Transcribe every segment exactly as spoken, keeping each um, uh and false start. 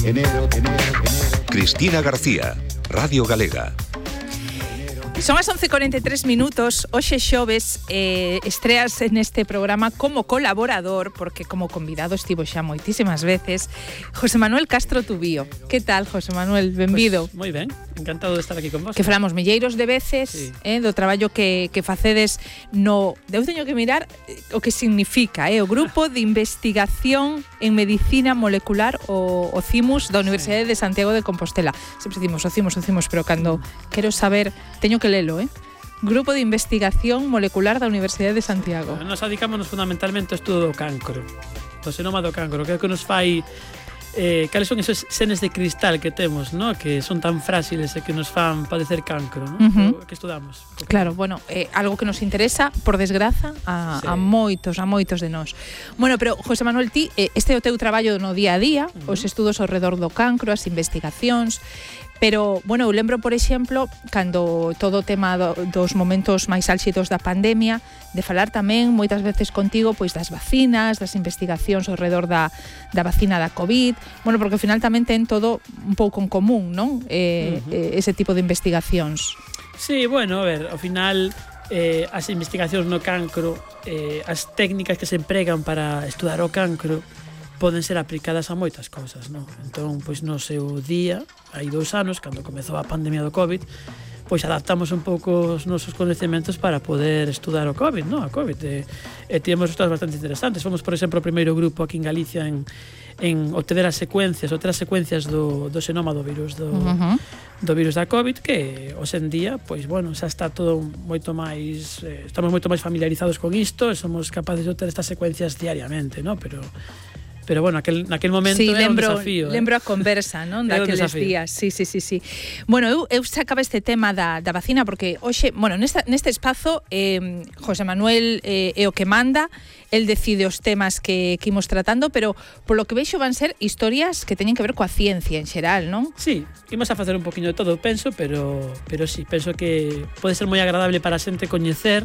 enero, enero, enero. Cristina García, Radio Galega. Son as once e cuarenta e tres minutos. Hoxe xoves eh, estreas neste programa como colaborador, porque como convidado estivo xa moitísimas veces, José Manuel Castro Tubío. Que tal, José Manuel? Benvido. Pues, moi ben, encantado de estar aquí con vos. Que falamos milleiros de veces, sí. eh, do traballo que, que facedes no... Eu teño que mirar o que significa, eh, o Grupo de Investigación en Medicina Molecular, o, o CIMUS, da Universidade sí. de Santiago de Compostela. Sempre decimos o CIMUS, o CIMUS, pero cando quero saber, teño que lelo, eh? Grupo de Investigación Molecular da Universidade de Santiago. Bueno, nos dedicamos fundamentalmente ao estudo do cancro, do xenoma do cancro, que é o que nos fai eh, cales son esos senes de cristal que temos, ¿no? Que son tan frágiles e que nos fan padecer cancro, ¿no? Uh-huh. Que estudamos. Claro, bueno, eh, algo que nos interesa, por desgraza, a, sí. a moitos, a moitos de nós. Bueno, pero, José Manuel, ti, eh, este é o teu traballo no día a día, uh-huh. os estudos ao redor do cancro, as investigacións. Pero, bueno, eu lembro, por exemplo, cando todo o tema do, dos momentos máis álxidos da pandemia, de falar tamén moitas veces contigo pois das vacinas, das investigacións ao redor da, da vacina da COVID, bueno, porque ao final tamén ten todo un pouco en común, non? Eh, uh-huh. eh, ese tipo de investigacións. Sí, bueno, a ver, ao final eh, as investigacións no cancro, eh, as técnicas que se empregan para estudar o cancro poden ser aplicadas a moitas cousas, non? Entón, pois no seu día, hai dous anos, cando comezou a pandemia do COVID, pois adaptamos un pouco os nosos coñecementos para poder estudar o COVID, non? A COVID. E, e tivemos estudos bastante interesantes. Fomos, por exemplo, o primeiro grupo aquí en Galicia en, en obter as secuencias, obter as secuencias do, do xenoma do virus do, uh-huh. do virus da COVID, que hoxe en día, pois, bueno, xa está todo moito máis, eh, estamos moito máis familiarizados con isto e somos capaces de obter estas secuencias diariamente, non? Pero Pero bueno, aquel, naquel momento sí, era lembro, un desafío. Lembro eh? a conversa, non? Daqueles días. Sí, sí, sí, sí. Bueno, eu, eu sacaba este tema da, da vacina porque hoxe, bueno, nesta, neste espazo eh, José Manuel eh, é o que manda, el decide os temas que, que imos tratando, pero polo que veixo van ser historias que teñen que ver coa ciencia en xeral, non? Sí, imos a facer un poquinho de todo, penso, pero, pero sí, penso que pode ser moi agradable para a xente coñecer,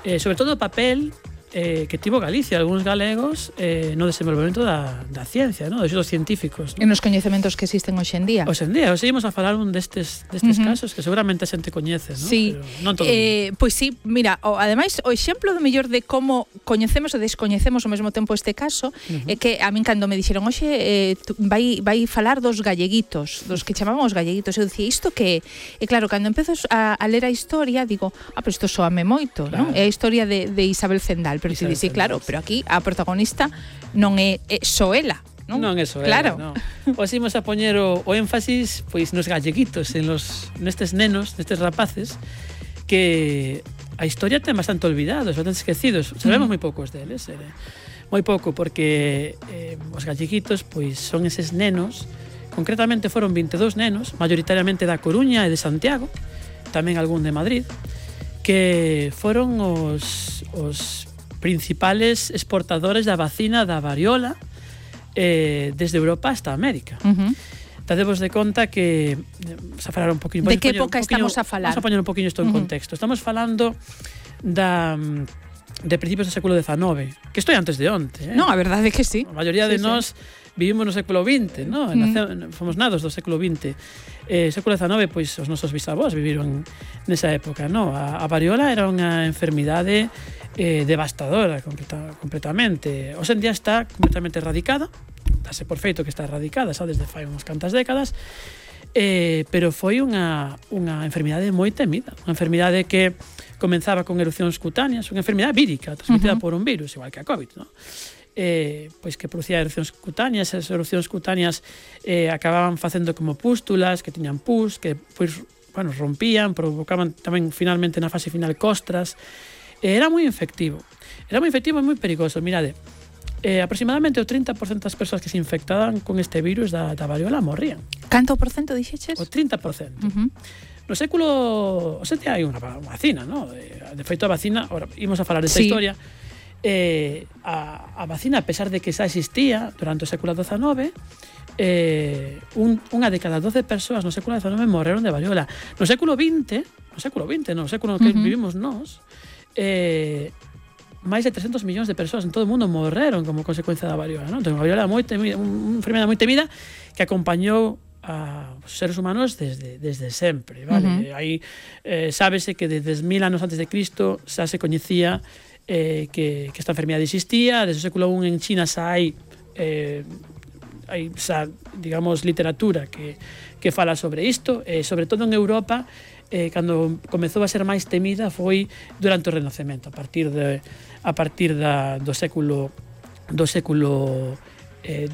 eh, sobre todo o papel Eh, que tivo Galicia, algúns galegos eh, no desenvolvemento da, da ciencia, ¿no? Dos estudos científicos, ¿no? En os coñecementos que existen hoxe en día. Hoxe en día, hoxe ímos a falar un destes, destes uh-huh. casos que seguramente a xente coñece, ¿no? Sí, pero non todo eh, pois sí, mira, o, ademais o exemplo do mellor de como coñecemos e descoñecemos ao mesmo tempo este caso uh-huh. é que a min cando me dixeron hoxe eh, vai, vai falar dos galleguitos, dos que chamamos galleguitos, eu dicía isto que e claro, cando empezo a, a ler a historia digo, ah, pero isto soame moito, claro. Non? É a historia de, de Isabel Zendal, pero si dice, claro, pero aquí a protagonista non é, é Soela, non? Non é Soela, claro. Non. Os imos a poñer o, o énfasis pois nos galleguitos, en los nestes nenos, nestes rapaces que a historia ten bastante olvidados, bastante esquecidos. Sabemos mm. moi poucos deles, eh, moi pouco porque eh, os galleguitos pois son eses nenos, concretamente foron veintidós nenos, maioritariamente da Coruña e de Santiago, tamén algún de Madrid, que foron os os principales exportadores da vacina da variola eh, desde Europa hasta América. Uh-huh. Dadevos de conta que vamos a falar un poquinho, de que época estamos a falar? Vamos a poñer un poquinho isto en uh-huh. contexto. Estamos falando da de principios do século dezenove, que isto é antes de onte, eh? Non, a verdade é que sí. A maioría sí, de nós sí. vivimos no século vinte, ¿no? Uh-huh. Nace, fomos nados do século vinte. Eh, século dezenove, pois os nosos bisavós viviron nesa época, ¿no? A, a variola era unha enfermidade eh, devastadora completa, completamente. Hoxe en día está completamente erradicada, dase por feito que está erradicada, xa desde fai unhas cantas décadas, eh, pero foi unha, unha enfermidade moi temida, unha enfermidade que comenzaba con erupcións cutáneas, unha enfermidade vírica, transmitida uh-huh. por un virus, igual que a COVID, ¿no? Eh, pois que producía erupcións cutáneas, as erupcións cutáneas eh, acababan facendo como pústulas, que tiñan pus, que pois, bueno, rompían, provocaban tamén finalmente na fase final costras. Eh, era moi infectivo. Era moi infectivo e moi perigoso. Mirade, eh, aproximadamente o trinta por cento das persoas que se infectaban con este virus da, da variola morrían. Canto por cento dixeches? O trinta por cento. Uh-huh. No século... O sete hai unha vacina, ¿no? De, de feito a vacina, ahora imos a falar desta sí. historia. Eh, a, a vacina, a pesar de que xa existía durante o século dezenove, eh, un, unha de cada doce persoas no século dezenove morreron de variola. No século vinte, no século vinte, no século no que uh-huh. vivimos nós, eh, máis de trescentos millóns de persoas en todo o mundo morreron como consecuencia da variola, non? Entón, a variola é moi temida, unha enfermedade moi temida que acompañou a os seres humanos desde, desde sempre, vale? Uh -huh. Aí eh, sábese que desde mil anos antes de Cristo xa se coñecía eh, que, que esta enfermedade existía. Desde o século I en China xa hai eh, hai xa, digamos, literatura que, que fala sobre isto, e eh, sobre todo en Europa, eh, cando comezou a ser máis temida foi durante o Renacemento, a partir de a partir da, do século do século eh,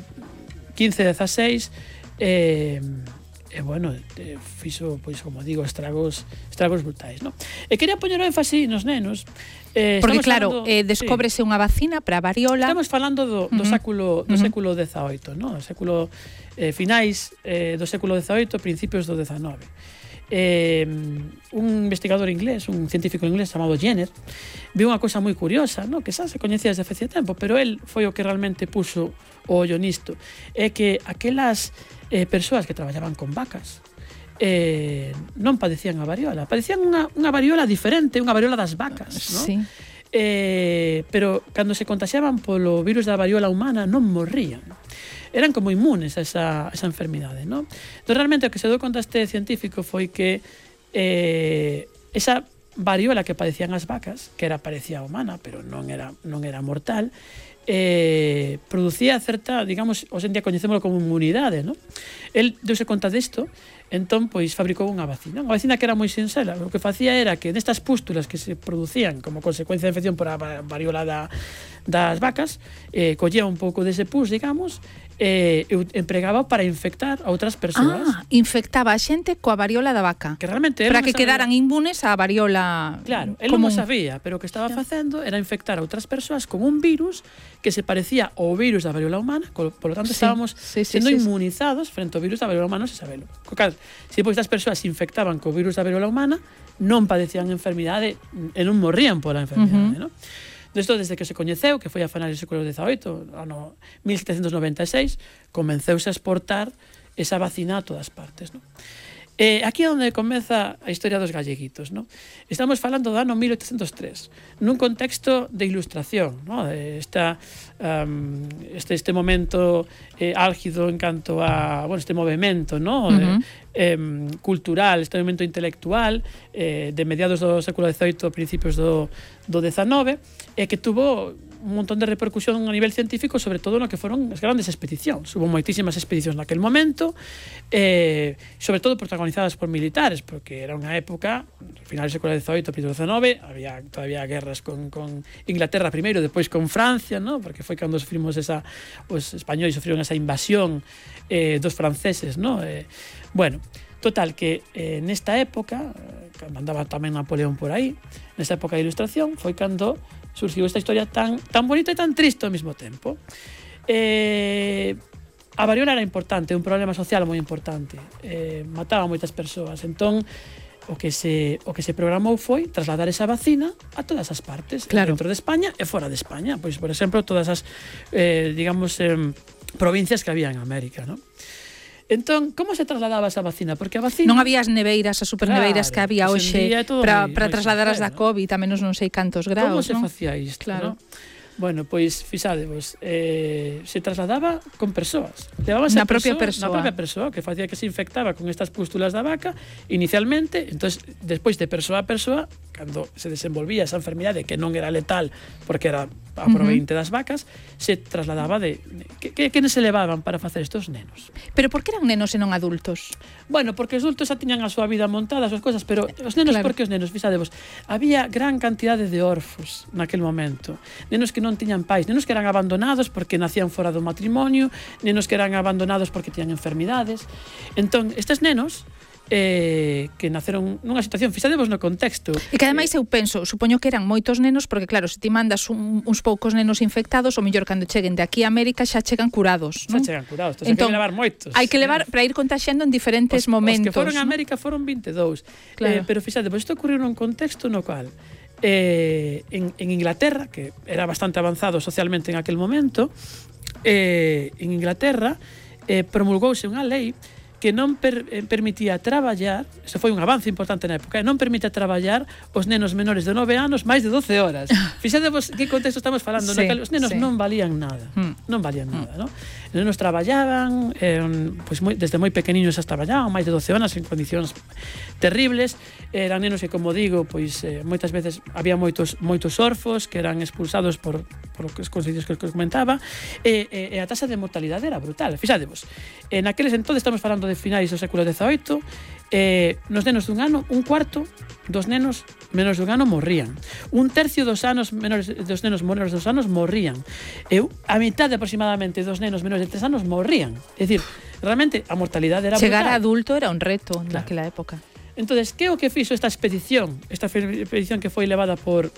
quince dezasseis, e eh, eh, bueno, eh, fixo, pois, como digo, estragos estragos brutais, non? E quería poñer o énfasis nos nenos. Eh, Porque claro, falando, eh, descóbrese sí. unha vacina para a variola. Estamos falando do, do uh -huh. século do uh -huh. século dezaoito, non? Do século eh, finais eh, do século dezaoito, principios do dezanove. Eh, un investigador inglés, un científico inglés chamado Jenner, viu unha cousa moi curiosa, no? Que xa se coñecía desde facía tempo, pero el foi o que realmente puso o ollo nisto, é que aquelas eh, persoas que traballaban con vacas eh, non padecían a variola, padecían unha, unha variola diferente, unha variola das vacas, no? Sí. Eh, pero cando se contaxiaban polo virus da variola humana non morrían, eran como inmunes a esa, a esa enfermidade, non? Entón, realmente, o que se deu conta este científico foi que eh, esa variola que padecían as vacas, que era parecía humana, pero non era, non era mortal, eh, producía certa, digamos, hoxe en día coñecémolo como inmunidade, non? El deuse conta desto, entón, pois, fabricou unha vacina. Unha vacina que era moi sinxela. O que facía era que nestas pústulas que se producían como consecuencia de infección por a variola da, das vacas, eh, collía un pouco dese pus, digamos, eh, empregaba para infectar a outras persoas. Ah, infectaba a xente coa variola da vaca. Que realmente para que quedaran inmunes á variola. Claro, él común. non o sabía, pero o que estaba facendo era infectar a outras persoas con un virus que se parecía ao virus da variola humana, por lo tanto, sí, estábamos sí, sí, sendo sí, inmunizados sí. frente ao virus da variola humana, se sabelo. Co cal, se depois das persoas se infectaban co virus da variola humana, non padecían enfermidade e non morrían pola enfermidade, uh -huh. non? Desto, desde que se coñeceu, que foi a finales do século dezaoito, ano mil setecentos noventa e seis, comenceuse a exportar esa vacina a todas partes, non? Eh, aquí é onde comeza a historia dos galleguitos, non? Estamos falando do ano mil oitocentos tres, nun contexto de ilustración, non? Esta, um, este, este momento eh, álgido en canto a, bueno, este movimento, non? Uh -huh. eh, eh, cultural, este movimento intelectual eh, de mediados do século dezaoito, principios do, do dezanove, e eh, que tuvo un montón de repercusión a nivel científico, sobre todo no que foron as grandes expedicións. Hubo moitísimas expedicións naquel momento, eh, sobre todo protagonizadas por militares, porque era unha época, ao final do século dezaoito, principio do dezanove, había todavía guerras con, con Inglaterra primeiro, depois con Francia, ¿no? Porque foi cando sufrimos esa, os españoles sufriron esa invasión eh, dos franceses, ¿no? Eh, bueno, total, que eh, nesta época, cando andaba tamén Napoleón por aí, nesta época de ilustración, foi cando surgiu esta historia tan, tan bonita e tan triste ao mesmo tempo. Eh, a variola era importante, un problema social moi importante, eh, mataba moitas persoas, entón o que se o que se programou foi trasladar esa vacina a todas as partes, claro. Dentro de España e fora de España, pois por exemplo, todas as eh, digamos eh, provincias que había en América, ¿no? Entón, como se trasladaba esa vacina? Porque a vacina... Non había as neveiras, as superneveiras claro, que había hoxe para para trasladar as da COVID, a menos non sei cantos graus, como se non? facía isto, claro. ¿no? Bueno, pois, fixadevos, eh, se trasladaba con persoas. Levábase na a propia persoa, persoa. na propia persoa, que facía que se infectaba con estas pústulas da vaca, inicialmente, entonces, despois de persoa a persoa, cando se desenvolvía esa enfermidade que non era letal, porque era a proveinte uh -huh. das vacas, se trasladaba de... Que, que, que se levaban para facer estos nenos? Pero por que eran nenos e non adultos? Bueno, porque os adultos xa tiñan a súa vida montada, as súas cosas, pero os nenos, claro. Porque os nenos, fixadevos, había gran cantidade de orfos naquel momento. Nenos que non tiñan pais, nenos que eran abandonados porque nacían fora do matrimonio, nenos que eran abandonados porque tiñan enfermidades. Entón, estes nenos eh, que naceron nunha situación, fixadevos no contexto. E que ademais eu penso, supoño que eran moitos nenos, porque claro, se ti mandas un, uns poucos nenos infectados, o mellor cando cheguen de aquí a América xa chegan curados, non? Xa chegan curados, entón, entón hai que levar moitos. Hai que levar para ir contaxiando en diferentes os, momentos. Os que foron a ¿no? América foron vinte e dous. Claro. Eh, pero fixadevos, isto ocurriu nun contexto no cual eh, en, en Inglaterra, que era bastante avanzado socialmente en aquel momento, eh, en Inglaterra eh, promulgouse unha lei que non per, eh, permitía traballar, eso foi un avance importante na época, non permitía traballar os nenos menores de nove anos máis de doce horas. Fixadevos que contexto estamos falando, sí, naquel, os nenos sí. non valían nada, Mm. non valían nada, ¿no? Os nenos traballaban, eh, pues moi, desde moi pequeniños hasta traballaban máis de doce horas en condicións terribles, eran nenos que, como digo, pois eh, moitas veces había moitos moitos orfos que eran expulsados por por os consellos que os comentaba, e, e, e a taxa de mortalidade era brutal. Fixadevos, en aqueles entonces estamos falando de finais do século dezaoito, eh, nos nenos dun ano, un cuarto dos nenos menos dun ano morrían. Un tercio dos anos menores dos nenos menores dos anos morrían. E a mitad aproximadamente dos nenos menores de tres anos morrían. É dicir, realmente a mortalidade era Chegar brutal. a adulto era un reto Claro. naquela época. Entonces, que o que fixo esta expedición? Esta expedición que foi levada por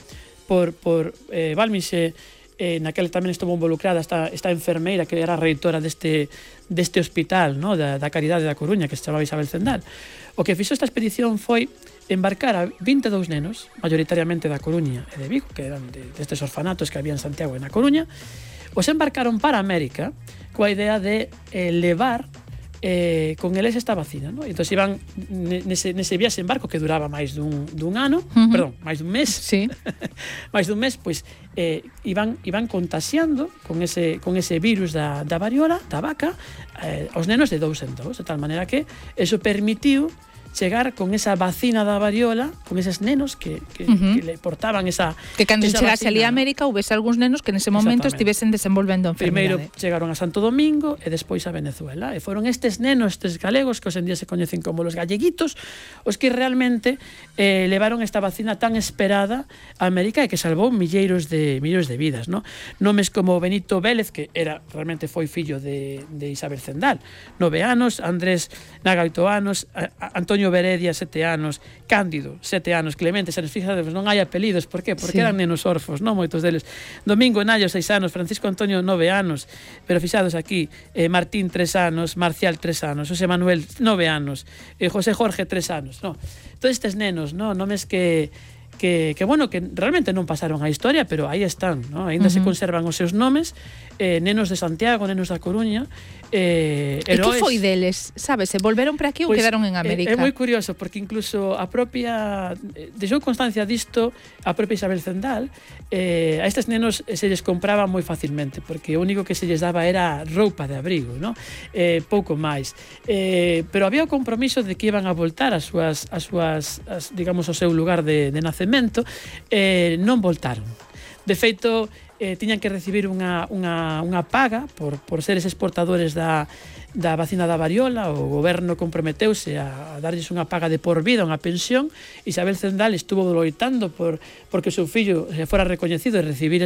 por por eh, Balmixe, eh, naquela tamén estuvo involucrada esta, esta enfermeira que era a reitora deste, deste hospital, no? da, da Caridade da Coruña, que se chamaba Isabel Zendal. O que fixo esta expedición foi embarcar a vinte e dous nenos, mayoritariamente da Coruña e de Vigo, que eran de, destes orfanatos que había en Santiago e na Coruña, os embarcaron para América coa idea de eh, levar eh, con eles esta vacina, ¿no? Entón iban nese, nese viaxe en barco que duraba máis dun, dun ano, uh-huh. perdón, máis dun mes, Sí. máis dun mes, pois eh, iban, iban contaxiando con ese, con ese virus da, da variola, da vaca, eh, aos nenos de dous en dous, de tal maneira que eso permitiu chegar con esa vacina da variola, con eses nenos que, que, uh-huh. que le portaban esa Que cando esa chegase ali a vacina, ¿no? América houvese algúns nenos que nese momento estivesen desenvolvendo a Primeiro enfermidade. chegaron a Santo Domingo e despois a Venezuela. E foron estes nenos, estes galegos, que hoxe en día se coñecen como los galleguitos, os que realmente eh, levaron esta vacina tan esperada a América e que salvou milleiros de milleiros de vidas, ¿no? Nomes como Benito Vélez, que era realmente foi fillo de, de Isabel Zendal, nove anos, Andrés Naga, oito anos, a, a Antonio Beredia, sete anos, Cándido, sete anos, Clemente, se nos fixades, non hai apelidos, por qué? Porque Sí. eran nenos orfos, non moitos deles. Domingo Nallo, seis anos, Francisco Antonio, nove anos, pero fixados aquí, eh, Martín, tres anos, Marcial, tres anos, José Manuel, nove anos, eh, José Jorge, tres anos, no. Todos estes nenos, no, nomes que que, que bueno, que realmente non pasaron a historia, pero aí están, no? Ainda uh-huh. se conservan os seus nomes, eh, nenos de Santiago, nenos da Coruña, eh, E que heróis. foi deles? Sabes, se volveron para aquí ou Pois, quedaron en América? É, é moi curioso, porque incluso a propia deixou constancia disto a propia Isabel Zendal, eh, a estes nenos se lles compraba moi facilmente, porque o único que se lles daba era roupa de abrigo, ¿no? Eh, pouco máis, eh, pero había o compromiso de que iban a voltar as súas, as súas as, digamos, ao seu lugar de, de nacemento, eh, non voltaron. De feito, eh, tiñan que recibir unha, unha, unha paga por, por ser eses portadores da, da vacina da variola. O goberno comprometeuse a, a darlles unha paga de por vida, unha pensión. Isabel Zendal estuvo loitando por porque o seu fillo se fora recoñecido e recibir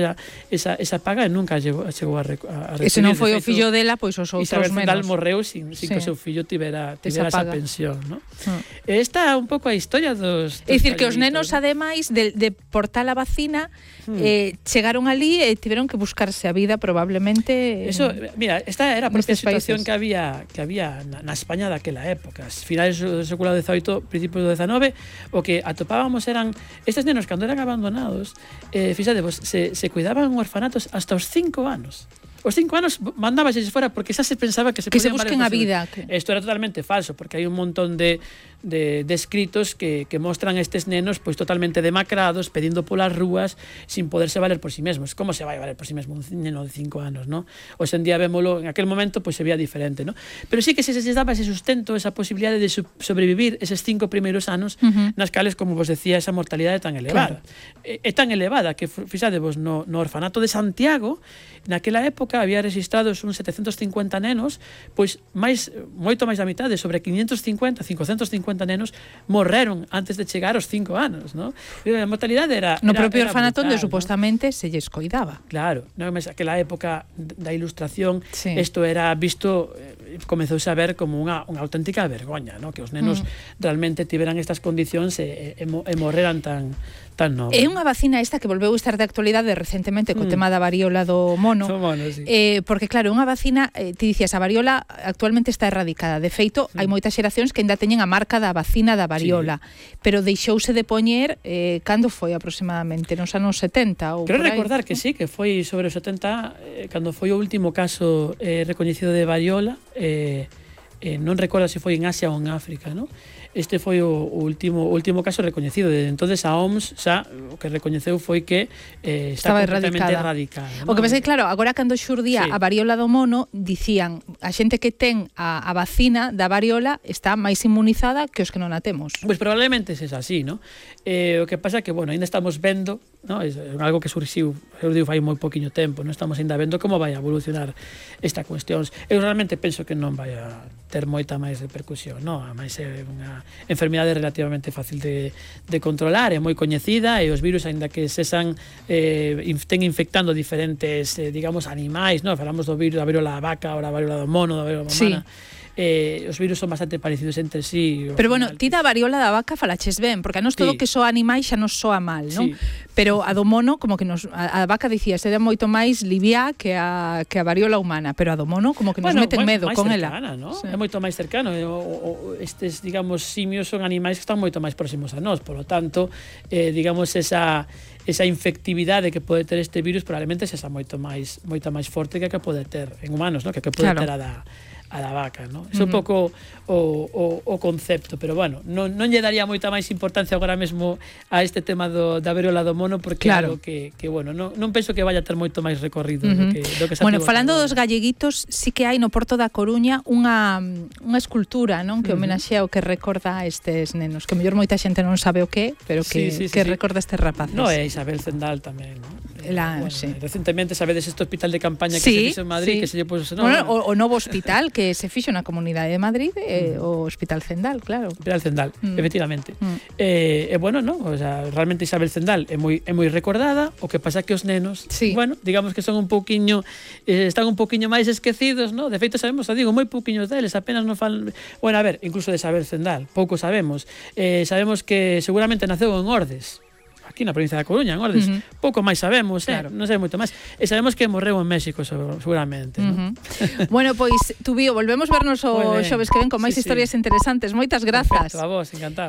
esa, esa paga, e nunca chegou, chegou a, a recibir. E se non foi de o feito, fillo dela, pois os outros Isabel Zendal menos. morreu sin, sin Sí. que o seu fillo tivera, tivera Esa esa, paga. pensión, ¿no? Ah. Esta é un pouco a historia dos, dos É dicir, que os galleguitos, nenos, ¿no? ademais de, de portar a vacina, hmm. eh, chegaron ali e tiveron que buscarse a vida probablemente. Eso, mira, esta era a propia nestes situación países. que había que había na, na España daquela época, finais do século dezaoito, principios do dezanove, o que atopábamos eran estes nenos cando eran abandonados, eh, fixadevos, se, se cuidaban en orfanatos hasta os cinco anos. Os cinco anos mandábases fora porque xa se pensaba que se Que se podían busquen a valer vida. posible. Que... Isto era totalmente falso, porque hai un montón de, de, de escritos que, que mostran estes nenos pois totalmente demacrados, pedindo polas rúas, sin poderse valer por si sí mesmos. Como se vai valer por si sí mesmo un neno de cinco anos, ¿no? Hoxe en día vémolo, en aquel momento pois se veía diferente, ¿no? Pero sí que se les daba ese sustento, esa posibilidade de sobrevivir eses cinco primeiros anos, uh-huh. nas cales, como vos decía, esa mortalidade tan elevada. Claro. É, é tan elevada que, fixadevos, no, no orfanato de Santiago, naquela época había registrados uns setecentos cincuenta nenos, pois máis moito máis da mitade, sobre quinientos cincuenta, cincocentos cincuenta nenos morreron antes de chegar aos cinco anos, ¿no? A mortalidade era no era, propio era orfanato onde brutal, supostamente ¿no? se lles coidaba. Claro, non é aquela época da Ilustración, isto sí. era visto, eh, comezouse a ver como unha, unha auténtica vergoña, ¿no? Que os nenos mm. realmente tiveran estas condicións e, e, e morreran tan tan novos. É unha vacina esta que volveu estar de actualidade recentemente co mm. tema da variola do mono. Do mono, sí. Eh, porque claro, unha vacina, eh, ti dicías, a variola actualmente está erradicada. De feito, mm. hai moitas xeracións que ainda teñen a marca da vacina da variola, sí. pero deixouse de poñer eh, cando foi aproximadamente, nos anos setenta ou Quero por aí. recordar que sí, que foi sobre os setenta, eh, cando foi o último caso eh, recoñecido de variola, eh, eh, non recordo se foi en Asia ou en África, non? Este foi o, o último o último caso recoñecido. Desde entonces a O M S xa o que recoñeceu foi que eh, está estaba completamente erradicada. erradicada, O que non? pasa é que, claro, agora cando xurdía Sí. a variola do mono, dicían a xente que ten a, a vacina da variola está máis inmunizada que os que non a temos. Pois probablemente é así, ¿no? Eh, o que pasa é que, bueno, ainda estamos vendo, ¿no? É algo que surxiu, eu digo, fai moi poquinho tempo, non estamos ainda vendo como vai a evolucionar esta cuestión. Eu realmente penso que non vai a ter moita máis repercusión, non? A máis é unha enfermidade relativamente fácil de, de controlar, é moi coñecida, e os virus, aínda que sesan eh, ten infectando diferentes, eh, digamos, animais, non? Falamos do virus da varíola da vaca, ou da varíola do mono, da varíola humana. Sí. Eh, os virus son bastante parecidos entre sí. Pero bueno, ti da variola da vaca falaches ben, porque a nos todo Sí. que soa animais xa nos soa mal, non? Sí. Pero a do mono, como que nos a, a vaca dicía, se dá moito máis liviá que a que a variola humana, pero a do mono como que nos Bueno, meten moi- medo máis con cercana, ela. ¿no? Sí. É moito máis cercano. O, o, estes, digamos, simios son animais que están moito máis próximos a nós, por lo tanto, eh, digamos, esa esa infectividade que pode ter este virus probablemente sexa moito máis moita máis forte que a que pode ter en humanos, ¿no? Que a que pode Claro. ter a da a da vaca, ¿no? É un pouco o, o, o concepto, pero bueno, non, non lle daría moita máis importancia agora mesmo a este tema do, da varíola do mono, porque Claro. é algo que, que bueno, non, non penso que vaya a ter moito máis recorrido Uh do -huh. que, do que se Bueno, tivo falando ata dos agora. galleguitos, sí que hai no Porto da Coruña unha unha escultura, non, que Uh -huh. homenaxea o que recorda a estes nenos, que mellor moita xente non sabe o que, pero que Sí, sí, sí, que sí. recorda a estes rapaces. No, é Isabel Zendal tamén, ¿no? La- bueno, sí. Recentemente sabedes este hospital de campaña que Sí, se fixo en Madrid, sí. que se lle puso, no, Bueno, bueno, o, o novo hospital que se fixo na Comunidade de Madrid, eh, o Hospital Zendal, claro. Hospital Zendal, Mm. efectivamente. Mm. Eh, e bueno, no, o sea, realmente Isabel Zendal é moi é moi recordada, o que pasa que os nenos, Sí. bueno, digamos que son un pouquiño eh, están un pouquiño máis esquecidos, ¿no? De feito sabemos, o digo, moi pouquiños deles, apenas non fan, bueno, a ver, incluso de Isabel Zendal, pouco sabemos. Eh, sabemos que seguramente naceu en Ordes, aquí na provincia da Coruña, en Ordes. Uh -huh. Pouco máis sabemos, eh? Claro. Non sei moito máis. E sabemos que morreu en México, seguramente, Uh ¿no? -huh. Bueno, pois, Tubío, volvemos vernos o Moi ben. xoves que ven con máis Sí, sí. historias interesantes. Moitas grazas. Perfecto, a vos, encantado.